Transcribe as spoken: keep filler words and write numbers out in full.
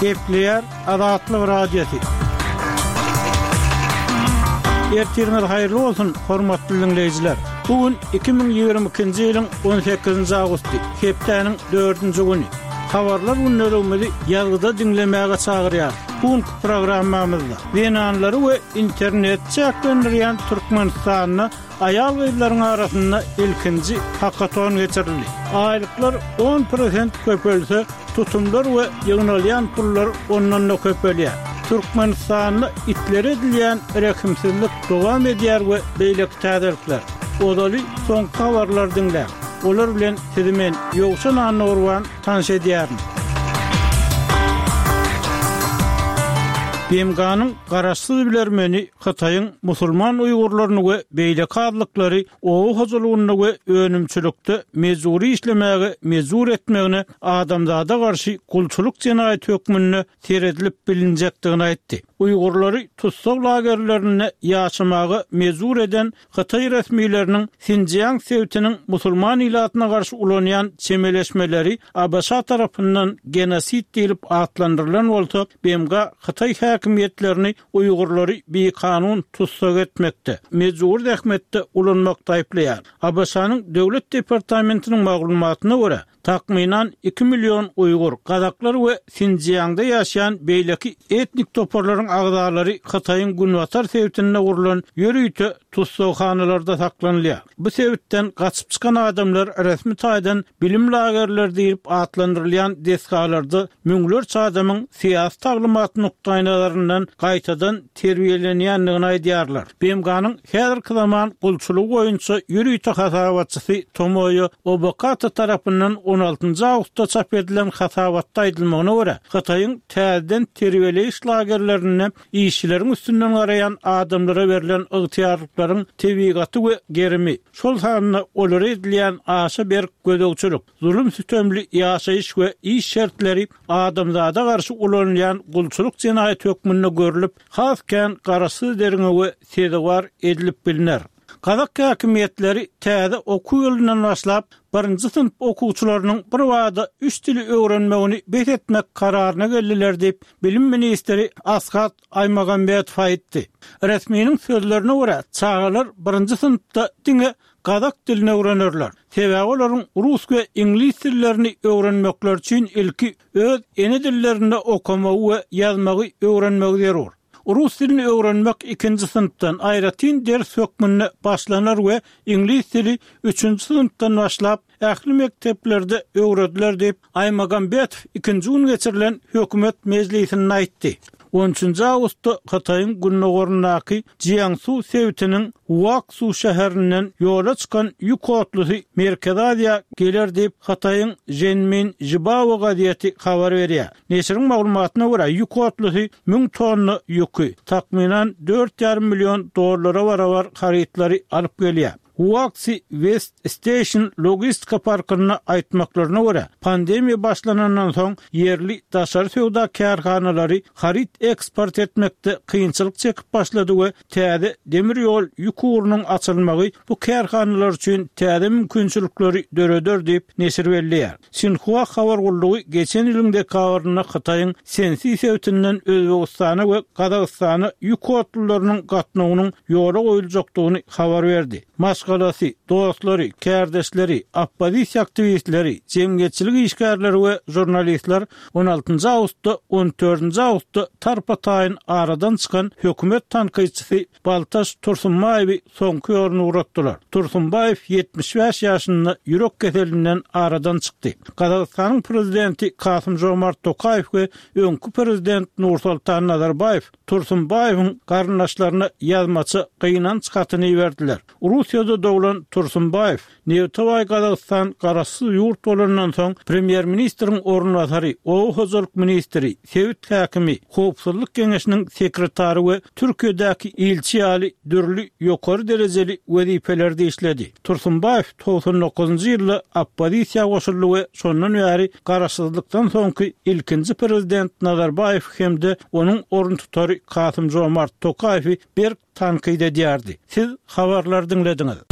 Gepleýär Azatlyk Radiosy. Ertiriňiz haýyrly bolsun, hormatly diňleýjiler! Bu gün iki müň ýigrimi ikinji ýylyň on sekizinji awgusty, hepdäniň dördünji güni. Habarlar gündeligimizi ýazgyda diňlemäge çagyrýarys. Bu günki programmamyzda zenanlary we interneti çäklendirýän Türkmenistanda aýal-gyzlaryň arasynda ilkinji hakaton geçirildi. Aýlyklar on prosent köpelse, tutumlar we ýygnalýan pullar ondan-da köpelýär. Türkmenistanda itlere edilýän rehimsizlik dowam edýär we beýleki täzelikler. Ozaly soňky habarlary diňläň. Olar bilen sizi men, Ýowşan Annagurban, tanyş edýärin. B M G-nyň garaşsyz bilermeni Hytaýyň musulman uýgurlaryny we beýleki azlyklary oba hojalygynda we önümçilikde mejbury işlemäge mejbur etmegine adamzada garşy gulçulyk jenaýaty hökmünde seredilip bilinjekdigini aýtdy. Uýgurlary tussag lagerlerinde ýaşamaga mejbur eden Hytaý resmileriniň Sinjiang sebitiniň musulman ilatyna garşy ulanýan çemeleşmeleri A B Ş tarapyndan genosid diýlip atlandyrylan bolsa, B M G Hytaý häkimiýetlerini uýgurlary bikanun tussag etmekde, mejbur zähmetde ulanmakda aýyplaýar. A B Ş-nyň Döwlet departamentiniň maglumatyna görä, takmynan iki million uýgur, gazaklar we Sinjiangda ýaşaýan beýleki etnik toparlaryň agzalary Hytaýyň günbatar sebitinde gurlan ýörite tussaghanalarda saklanylýar. Bu sebitden gaçyp çykan adamlar resmi taýdan bilim lagerleri diýlip atlandyrylýan desgalarda müňlerçe adamyň syýasy taglymat nukdaýnazaryndan gaýtadan terbiýelenýändigini aýdýarlar. B M G-nyň häzirki zaman gulçulygy boýunça ýörite hasabatçysy Tomoýo Obokata tarapyndan on altynjy awgustda çap edilen hasabatda aýdylmagyna görä, Hytaýyň täzeden terbiýeleýiş lagerlerinde işçileriň üstünden garaýan adamlara berlen ygtyýarlyklaryň tebigaty we gerimi, şol sanda olara edilýän aşa berk gözegçilik, zulum sütemli ýaşaýyş we iş şertleri adamzada garşy ulanylýan gulçulyk jenaýaty hökmünde görlüp, has kän garaşsyz derňewe sezewar edilip bilner. Gazak häkimiýetleri täze okuw ýylyndan başlap, birinji synp okuwçylarynyň bir bada üç dili öwrenmegini bes etmek kararyna geldiler diýip, bilim ministri Ashat Aýmagambetow aýtdy. Resminiň sözlerine görä, çagalar birinji synpda diňe gazak dilini öwrenerler. Sebäbi olaryň rus we iňlis dillerini öwrenmekleri üçin ilki öz ene dillerinde okamagy we ýazmagy öwrenmegi zerur. Rus dilini öwrenmek ikinji synpdan aýratyn ders hökmünde başlanar we iňlis dili üçünji synpdan başlap ähli mekdeplerde öwrediler diýip, Aýmagambetow ikinji gün geçirilen hökümet mejlisinde aýtdy. On üçünji awgustda Hytaýyň gündogaryndaky Jiangsu sebitiniň Huaksu şäherinden ýola çykan ýük otlusy Merkezi Aziýa geler diýip, Hytaýyň Zhenmin Zhibao gazeti habar berýär. Neşiriň maglumatyna görä, ýük otlusy müň tonna ýüki, takmynan dört ýarym million dollara barabar harytlary alyp gelýär. Huaxi West Station logistika parkynda aýtmaklaryna görä, pandemiýa başlanandan soň ýerli daşary söwda kärhanalary haryt eksport etmekde kynçylyk çekip başlady we täze demir ýol ýük ugrunyň açylmagy bu kärhanalar üçin täze mümkinçilikleri döreder diýip neşir belleýär. Sinhua habar gullugy geçen ýylyň dekabrynda Hytaýyň Sensi sebitinden Özbegistana we Gazagystana ýük otlularynyň gatnawynyň ýola goýuljakdygyny habar berdi. Maşgalasy, dostlary, kärdeşleri, oppozisiýa aktiwistleri, jemgyýetçilik işgärleri we žurnalistler on altynjy awgustda on dördünji awgustda tarpa-taýyn aradan çykan hökümet tankytçysy Baltaş Tursunbaýewi soňky ýoluna ugratdylar. Tursunbaýew ýetmiş bäş ýaşynda ýürek keselinden aradan çykdy. Gazagystanyň prezidenti Kasym-Žomart Tokaýew we öňki prezident Nursultan Nazarbaýew Tursunbaýewiň garyndaşlaryna ýazmaça gynanç hatyny iberdiler. Russiýada doglan Tursunbaýew Nebtabaý Gazagystan garaşsyz ýurt bolandan soň premýer-ministriň orunbasary, oba hojalyk ministri, sebit häkimi, howpsuzlyk geňeşiniň sekretary we Türkiýedäki ilçi ýaly dürli ýokary derejeli wezipelerde işledi. Tursunbaýew togsan dokuzynjy ýylda oppozisiýa goşuldy we şondan bäri garaşsyzlykdan soňky ilkinji prezident Nazarbaýew hem-de onuň oruntutary Kasym-Žomart Tokaýewi berk tankyt edýärdi. Siz habarlary diňlediňiz.